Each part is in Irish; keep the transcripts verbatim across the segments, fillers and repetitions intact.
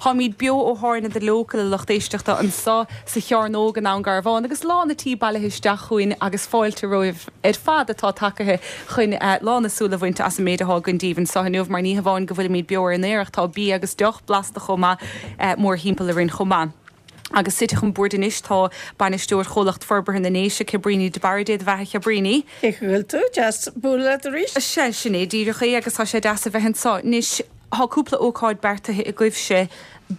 Táimid beo ó thábhairne The Local, a lucht éisteachta, anseo sa Chearnóg i nDún Garbhán, agus lán an tí bailithe isteach chugainn agus fáilte romhaibh ar fad atá tagaithe chun uh, lán na súl a bhaint as an méid atá againn daoibh anseo inniu, mar ní hamháin go bhfuilimid beo ar an aer, tá bia agus deoch blasta chomh maith uh, mórthimpeall orainn chomh maith. Agus suite chun boird anois tá bainisteoir Chomhlacht Forbartha na nDéise, Cabríní de Barra. Dé do bheatha, Cabríní. Bhfuil tú deas bualadh arís? Se sin é díreach é, agus tá sé deas a bheith anseo. Anois, tá cúpla ócáid beartaithe agaibhse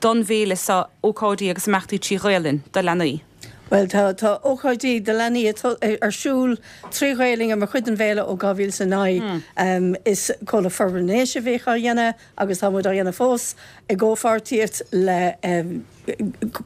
don bhféile seo, ócáidí agus imeachtaí trí Ghaelainn do leanaí. Well, tá tá ócáidí do leanaí ar siúl trí Ghaelainn mar chuid den bhféile ó dhá mhíle is a naoi. um, Is Comhlacht Forbartha na nDéise a bhíodh á dhéanamh agus tá muid á dhéanamh fós i gcomhpháirtíocht le um,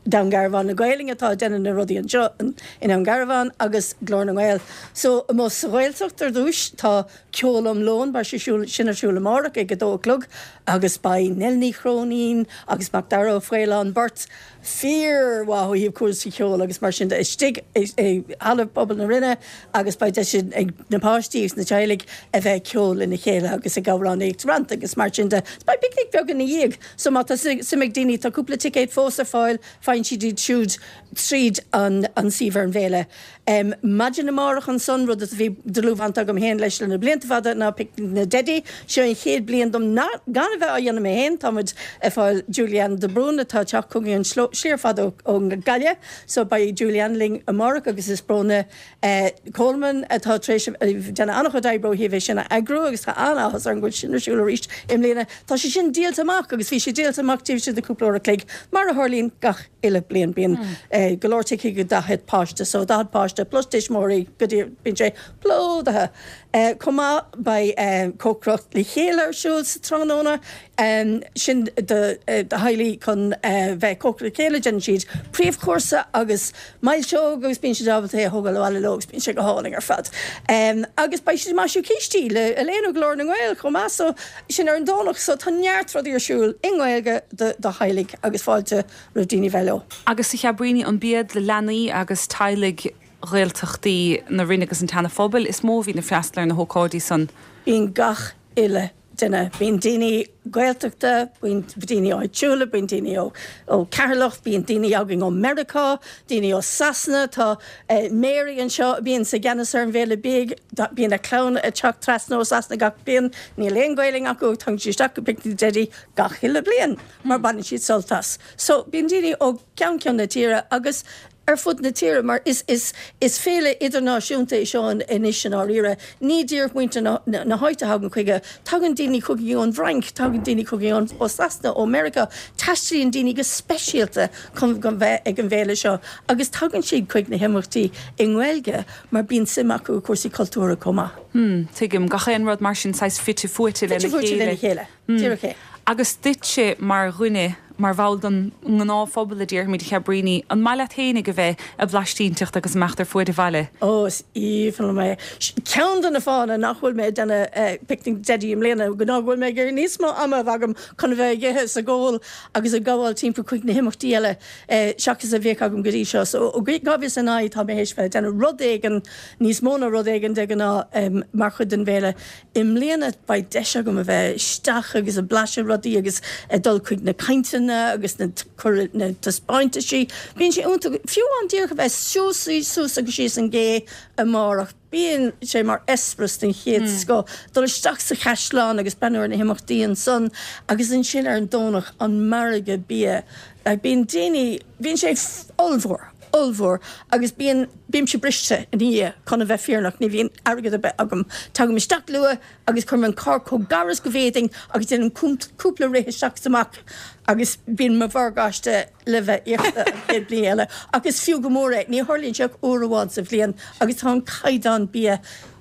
Dún Garbhán na Gaelainne atá déanamh na rudaí anseo in Dún Garbhán agus Glór na nGael. So más sa Ghaeltacht ar dtús, tá ceol um lón, beidh sé sin ar siúl amárach ag a dó a chlog, agus beidh Nell Ní Chróinín agus Macdara Ó Faoláin, beirt fíormhaith ó thaobh cúrsaí ceoil agus mar sin de, istigh i halla pobail na Rinne, agus beidh deis ag na páistí agus na teaghlaigh a bheith ceol lena chéile agus ag amhránaíocht rant agus mar sin de. Beidh picnic beag ina dhiaidh, so má tá suim ag daoine, tá cúpla ticéad fós ar fáil, faigheann siad iad siúd tríd an an suíomh ar an bhféile. Um, Maidin amárach ansan, rud a bhí dlúthbhaint agam féin leis le na blianta fada, ná Picnic na dTeidí. Seo an chéad bliain dom gan a bheith á dhéanamh mé féin. Táimid ag fáil Julianne de Brún atá teacht chugainn an sliar fada ón Ghaillimh, so beidh Julianne linn amárach, agus is Bróna uh, Coleman atá tar éis déanamh an-chuid oibre ó thaobh é sin a eagrú, agus tá an-áthas ar an bhfuil sin ar siúl arís i mbliana. Tá sé sin díolta amach, agus bhí sé díolta amach taobh istigh de cúpla uair a chloig, mar a tharlaíonn gach uile bliain. Bíonn mm. go leor ticéid go daichead páiste, so daichead páiste plus tuismitheoirí, go dtí bíonn sé plódaithe. Uh, Chomh maith, beidh uh, cócaireacht le chéile ar siúl sa tráthnóna, um, sin do uh, do theaghlaigh chun uh, bheith cócaireacht le chéile. Déanann siad príomhchúrsa agus milseog agus bíonn siad ábalta é a thógáil abhaile leo, agus bíonn sé go hálainn ar fad. Um, agus beidh siad maisiú cístí le Elaine Glór na nGael chomh maith, so sin ar an Domhnach, so tá neart rudaí ar siúl i nGaeilge do do theaghlaigh agus fáilte roimh daoine bheith leo. Agus a Chabríní, an b'iad le leanaí agus teaghlaigh Ghaeltachtaí na Rinne agus an tSeana-Phobail is mó a bhíonn ag freastal ar na hócáidí san? Bíonn gach uile duine. Bíonn daoine Gaeltachta, bíonn daoine áitiúla, bíonn daoine ó ó Ceatharlach, bíonn daoine againn ó Meiriceá, daoine ó Sasana. Tá eh, Mary anseo, bíonn sa gceannas ar an bhféile bídh, bíonn a clann ag teacht trasna ó Sasana gach bliain. Níl aon Ghaelainn acu, tagann siad isteach go Picnic na dTeidí gach uile bliain mar baineann siad sult as. So bíonn daoine ó ceann ceann na tíre agus ar fud na tíre, mar is is is féile idirnáisiúnta é seo anois i ndáiríre. Ní díreach muintir na, na, na háite thagann chuige, tagann daoine chugainn ón bhFrainc, tagann daoine chugainn ó Sasana, ó Meiriceá, taistealaíonn daoine go speisialta chun go bheith ag an bhféile seo, agus tagann siad chuig na himeachtaí i nGaeilge mar bíonn suim acu i cúrsaí cultúrtha chomh maith. Hmm, tuigim, gach aon rud mar sin saghas fite fuaite lena Fite fuaite lena chéile. chéile. Díreach é. Agus duitse mar dhuine, mar bhall den ngnáthphobal a déarfaimid, Cabríní, an maith leat féinig a bheith ag blaistínteacht agus imeacht ar fuaid an bhaile? Ó, is aoibhinn liom é. Ceann de na fáthanna nach bhfuil mé ag déanamh Picnic Deidí i mbliana ná go bhfuil mé ag iarraidh níos mó ama a bheith agam chun a bheith ag ithe is ag ól agus ag gabháil timpeall chuig na himeachtaí eile seachas a bheadh agam go dtí seo. So ó dhá mhíle is a naoi tá mé théis bheith ag déanamh rud éigin, níos mó ná rud éigin de ghnáth, mar chuid den bhféile. I mbliana beidh deis agam a bheith isteach agus ag blaiseadh rudaí agus ag dul chuig na cainteanna agus na cur na taispeántaisí. Bíonn sé iontach, fiú amháin díreach a bheith suas suas agus síos an gcé amárach. Bíonn sé mar eispéireas den chéad scoth. Dul isteach sa chaisleán agus breathnú ar na himeachtaí ansan, agus ansin ar an Domhnach an margadh bia. Bíonn daoine, bíonn sé ollmhór, ollmhór, agus bíonn bímse briste ina dhiaidh, chun a bheith fírinneach. Ní bhíonn airgead ar bith agam. Tagaim isteach luath agus cuirim an carr chomh gar is go bhféadfainn agus déanaim cúpla rith isteach is amach, agus bíonn mo mhorgáiste le bheith íoctha an chéad bhliain eile. Ach is fiú go mór é. Ní tharlaíonn sé ach uair amháin sa bhliain, agus tá an caighdeán bia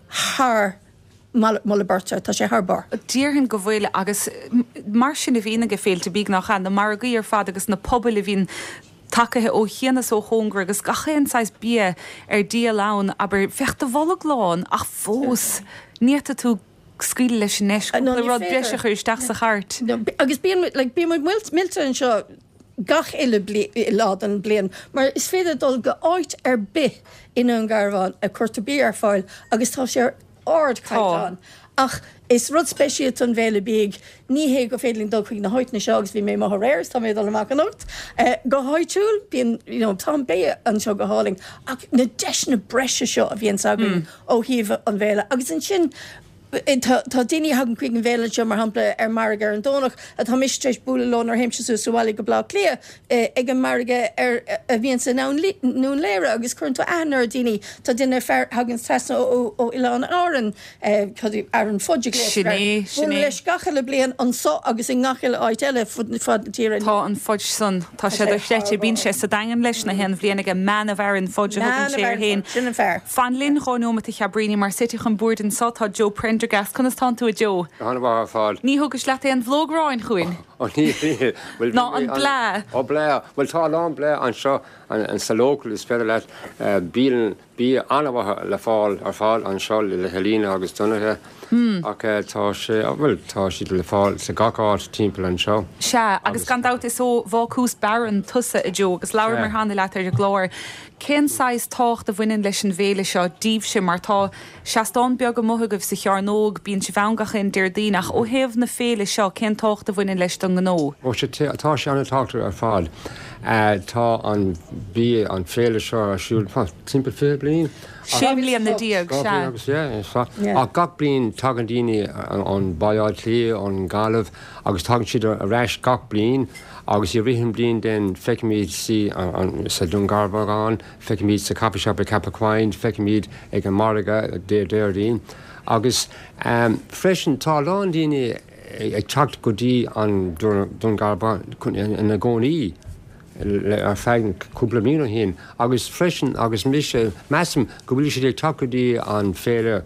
thar moladh beirte, tá sé thar barr. Déarfainn go bhfuil, agus mar sin a bhíonn ag féilte bídh, nach ea, na margaí ar fad agus na pobail a bhíonn tagaithe ó chian is ó chóngar agus gach aon saghas bia ar díol ann, abair, bheadh do bholg lán, ach fós ní fhéadfadh tú scaoileadh leis an ndeis cúpla rud breise a chur isteach sa chairt. Agus bíonn like, bíonn muid millte anseo gach uile lá den bliain, mar is féidir dul go áit ar bith i nDún Garbhán a cuirtear bia ar fáil agus tá sé ar ardchaighdeán. Ach Is rud speisialta an bhféile bídh ní hé go féidir linn dul chuig na háiteanna seo agus bhí mé amuigh aréir tá mé dul amach anocht. Uh, go háitiúil bíonn you know, tá bia anseo go hálainn ach na deiseanna breise seo a bhíonn againn mm. ó thaobh an bhféile. Agus ansin Tá daoine thagann chuig an bhféile seo mar shampla ar margadh ar an Domhnach atá mise tar éis bualadh leo nuair a théimse suas abhaile go Baile Átha Cliath ag an margadh ar a bhíonn sa nDún Laoghaire agus cuireann tú aithne ar daoine tá duine fear thagann trasna ó Oileáin Árann Aaron Fudge Sin é leis gach uile bliain anseo agus i ngach uile áit eile fud fad na tíre. Tá an Fudge san tá sé dochreidte bíonn sé sa Daingean leis na haon bhliain aige Man of Aran Fudge a thugann sé air féin. Sin an fear. Fan linn dhá nóiméad a Chabríní mar suite chun boird anseo tá Joe Prendergast conas tánn tú a Joe? An-mhaith ar fad. Ní thugais leat aon bhlóg aráin chugainn? Ó ní bhuel Ná an bláth. Ó bláth bhuel tá a lán bláth anseo an sa local is féidir leat bíonn bia an-mhaith le fáil ar fáil anseo le Helena agus Donncha ach tá sé bhuel tá siad le fáil sa gach áit timpeall anseo. Sea, agus gan dabht is ó Bhácús Barron tusa a Joe agus labhramar cheana leat ar an gclár. Cén saghas tábhacht a bhaineann leis an bhféile seo daoibhse mar tá seastán beag amuigh agaibh sa Chearnóg, bíonn sibh ann gach aon Déardaoin ach ó thaobh na féile seo cén tábhacht a bhaineann leis don ngnó? Ó sé tá sé an-tábhachtach ar fad. Tá an bhí an féile seo ar siúl timpeall fiche bliain. Sé bliana déag, sea. Agus yeah, ach gach bliain tagann daoine ón Baile Átha Cliath, ón Gaillimh agus tagann siad ar ais gach bliain agus i rith an bliain den feicimid si sa Dún Garbhán, feicimid sa coffee shop i Ceapach Choinn, feicimid ag an margadh Déardaoin. Agus um, freisin tá lán daoine ag teacht go dtí an Dún Garbhán ina gcónaí ar feadh cúpla bliain ó shin agus freisin agus mise measaim go bhfuil siad ag teacht go dtí an féile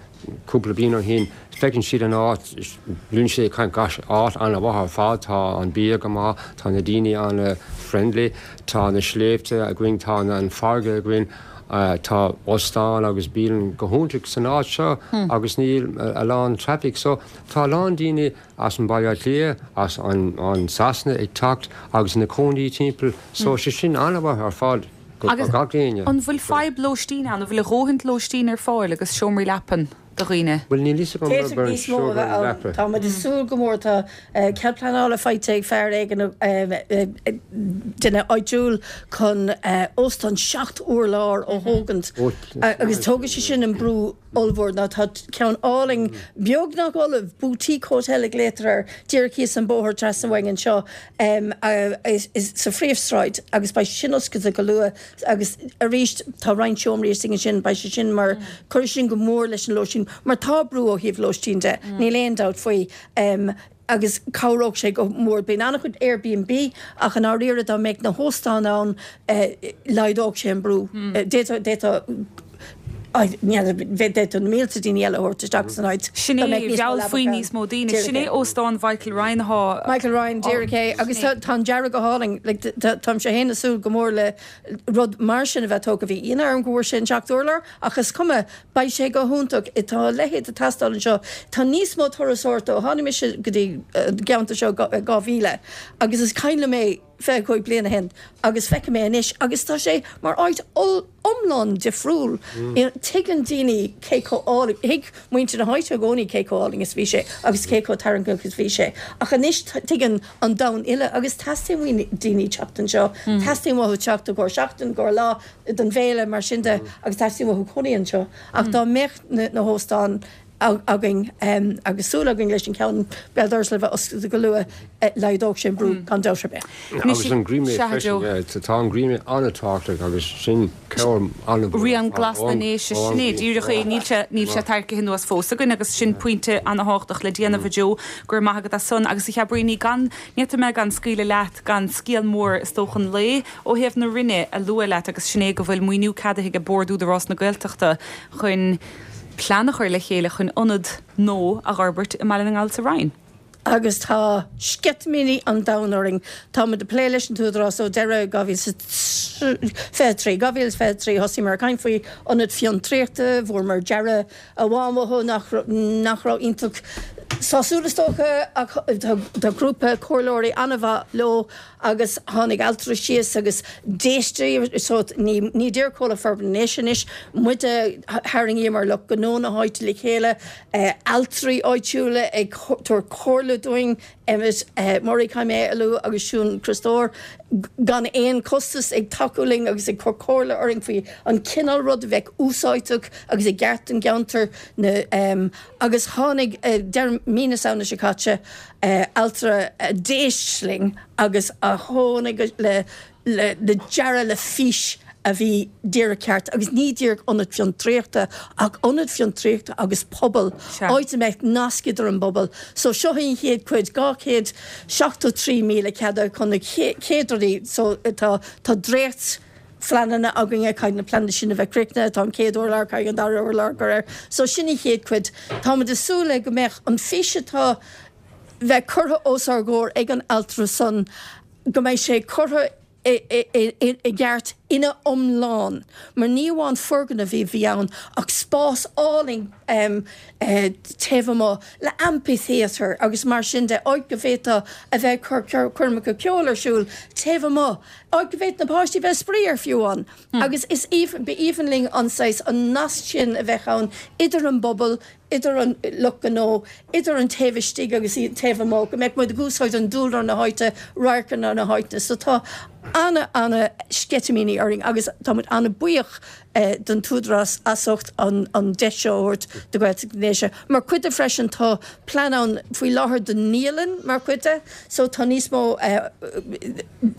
cúpla bliain ó shin feiceann siad an áit bíonn sé caint áit an-mhaith ar fad tá an bia go maith tá na daoine an-friendly tá na sléibhte againn tá an farraige againn Uh, tá óstán agus bialann go hiontach san áit seo hmm. agus níl a lán traffic so tá lán daoine as an Baile Átha Cliath as an, an Sasana ag teacht agus na cónaí timpeall so sé sin an-mhaith ar fad Agus an bhfuil fadhb lóistín ann, an bhfuil a dhóthain lóistín ar fáil agus seomraí leapan do dhaoine? Bhuel níl fhios agam D'fhéadfadh níos mó a bheith ann. Tá muid ag súil go mór tá cead pleanála faighte ag fear éigin duine áitiúil chun óstán seacht urlár a thógaint agus tógfaidh sé sin an brú ollmhór ná tá ceann álainn beagnach ullamh boutique hotel a ghlaotar air díreach thíos an bóthar trasna uainn anseo sa phríomhshráid agus beidh sin oscailte go luath agus arís tá roinnt seomraí istigh ansin beidh sé sin mar cuirfidh sin go mór leis an lóistín mar tá brú ó thaobh lóistín de níl aon dabht faoi agus cabhródh sé go mór. Bíonn an-chuid Airbnb ach i ndáiríre dá mbeadh na hóstáin ann laghdódh sé an brú. D'fhéadfadh d'fhéadfadh na mílte daoine eile a thabhairt isteach san áit. Sin é, mheallfaí níos mó daoine. Sin é óstán Mhichael Ryan atá. Michael Ryan, díreach é. Agus tá an dearadh go hálainn. Táimse féin ag súil go mór le rud mar sin a bheith tógtha. Bhí ionadh orm go bhfuair sé an seacht urlár ach is cuma, beidh sé go hiontach. Tá a leithéid ag teastáil anseo. Tá níos mó turasóireachta ó tháinig mise go dtí an gceantar seo i dhá mhíle agus is cuimhin liom é fiche cúig bliain ó shin agus feicim é anois agus tá sé mar áit iomlán difriúil. Tuigeann daoine cé chomh álainn, thuig muintir na háite i gcónaí cé chomh álainn is bhí sé agus cé chomh tarraingteach is bhí sé ach anois tuigeann an domhan uile agus teastaíonn uaidh daoine teacht anseo, teastaíonn uathu teacht i gcomhair seachtain, i gcomhair lá don bhféile mar sin de agus teastaíonn uathu cónaí anseo ach dá mbeadh na hóstáin againn agus súil againn leis an ceann béal dorais le bheith oscailte go luath, laghdódh sé an brú gan dabht ar bith. Agus an Greenway freisin, tá an Greenway an-tábhachtach agus sin cabhair an-mhór. Rian Glas na nDéise, sin é díreach é, níl sé, níl sé tarraicthe anuas fós againn agus sin pointe an-thábhachtach le déanamh a Joe, go raibh maith agat as san. Agus a Chabríní, gan, ní fhéadfaidh mé gan scaoileadh leat gan scéal mór is dócha an lae ó thaobh na Roinne a lua leat agus sin é go bhfuil maoiniú ceadaithe ag Bord Údarás na Gaeltachta chun plean a chur le chéile chun ionad nua a fhorbairt i mBaile na nGall sa Rinn. Agus tá sceitimíní an domhain orainn. Táimid ag plé leis an tÚdarás ó deireadh dhá mhíle is fiche a trí. dhá mhíle is fiche a trí thosaíomar ag caint faoi ionad fiontraíochta, bhfuaireamar dearadh amháin uathu nach nach raibh iontach sásúil is dócha ach tá grúpa comhairleoirí an-mhaith leo agus tháinig altra síos agus d'éist so ní ní deir Comhlucht Forbartha na nDéise anois muide tharraingíomar lucht gnó na háite le chéile altraí áitiúla ag tabhairt comhairle dúinn Emmet Murray caithfidh mé a lua agus Siún Criostóir gan aon costas ag tacú linn agus ag cur comhairle orainn faoi an cineál rud a bheadh úsáideach agus i gceart don gceantar na agus tháinig deireadh mí na Samhna seo caite altra a d'éist linn agus a tháinig le le le dearadh le fís a bhí díreach ceart agus ní díreach ionad fiontraíochta ach ionad fiontraíochta agus pobal áit a mbeadh nasc idir an bpobal. So seo an chéad chuid dhá chéad seachtó trí míle ceada chun na chéad rudaí so tá tá dréacht phleananna againne caithfidh na pleananna sin a bheith críochnaithe, tá an chéad urlár, caithfidh an dara urlár cur air. So sin an chéad chuid. Táimid ag súil le go mbeadh an fís atá bheith curtha os ár gcomhair ag an altra san go mbeidh sé curtha i gceart ina iomlán, mar ní amháin foirgneamh a bhí ann ach spás álainn taobh amuigh le amphitheatre agus mar sin de, áit go bhféadfá a bheith ag cur coirmeacha ceoil ar siúl taobh amuigh, áit go bhféadfadh na páistí bheith ag spraoi ar fiú amháin. Agus is aoibhinn, ba aoibhinn linn an saghas, an nasc sin a bheith ann idir an bpobal, idir an lucht gnó, idir an taobh istigh agus an taobh amuigh, go mbeadh muid ag úsáid an dúlra na háite, radharcanna na háite. So tá ana, ana sceitimíní orainn agus tá muid ana buíoch don t-údarás as ucht an an deis seo a thabhairt do Ghaeltacht na nDéise. Mar chuid de freisin tá plean ann faoi láthair do naíolann mar chuid de so tá níos mó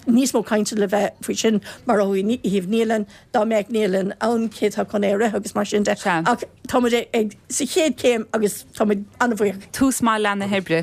níos mó cainte le bheith faoi sin mar ó thaobh naíolann, dá mbeadh naíolann ann cé atá chun é a rith agus mar sin de. Ach tá muid ag sa chéad chéim agus tá muid an-bhuíoch. Tús maith le na hoibre.